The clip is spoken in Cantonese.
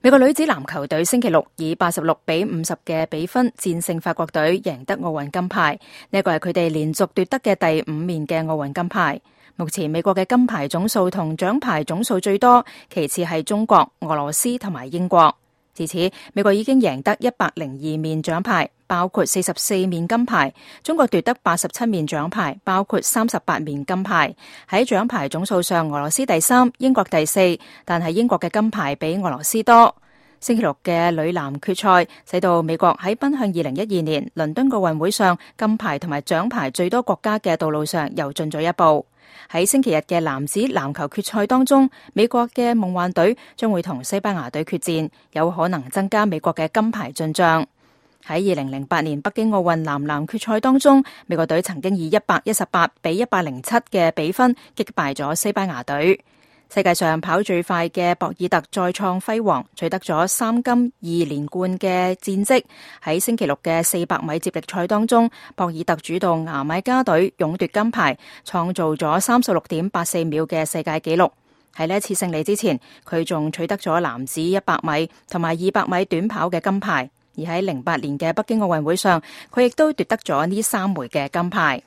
美國女子籃球隊星期六以86-50嘅比分戰勝法國隊，贏得奧運金牌。呢個係佢哋連續奪得嘅第5面嘅奧運金牌。目前美國嘅金牌總數同獎牌總數最多，其次係中國、俄羅斯同埋英國。至此，美國已經贏得102面獎牌，包括44面金牌；中國奪得87面獎牌，包括38面金牌。喺獎牌總數上，俄羅斯第3，英國第4，但係英國嘅金牌比俄羅斯多。星期六嘅女籃決賽，使到美國喺奔向2012年倫敦奧運會上金牌同埋獎牌最多國家嘅道路上又進咗一步。喺星期日嘅男子籃球決賽當中，美國嘅夢幻隊將會同西班牙隊決戰，有可能增加美國嘅金牌進賬。喺2008年北京奧運男籃決賽當中，美國隊曾經以118-107嘅比分擊敗咗西班牙隊。世界上跑最快嘅博爾特再創輝煌，取得咗3金2連冠嘅戰績。喺星期六嘅400米接力賽當中，博爾特主導牙買加隊勇奪金牌，創造咗36.84秒嘅世界紀錄。喺呢一次勝利之前，佢仲取得咗男子100米同埋200米短跑嘅金牌。而喺08年嘅北京奧運會上，佢亦都奪得咗呢3枚嘅金牌。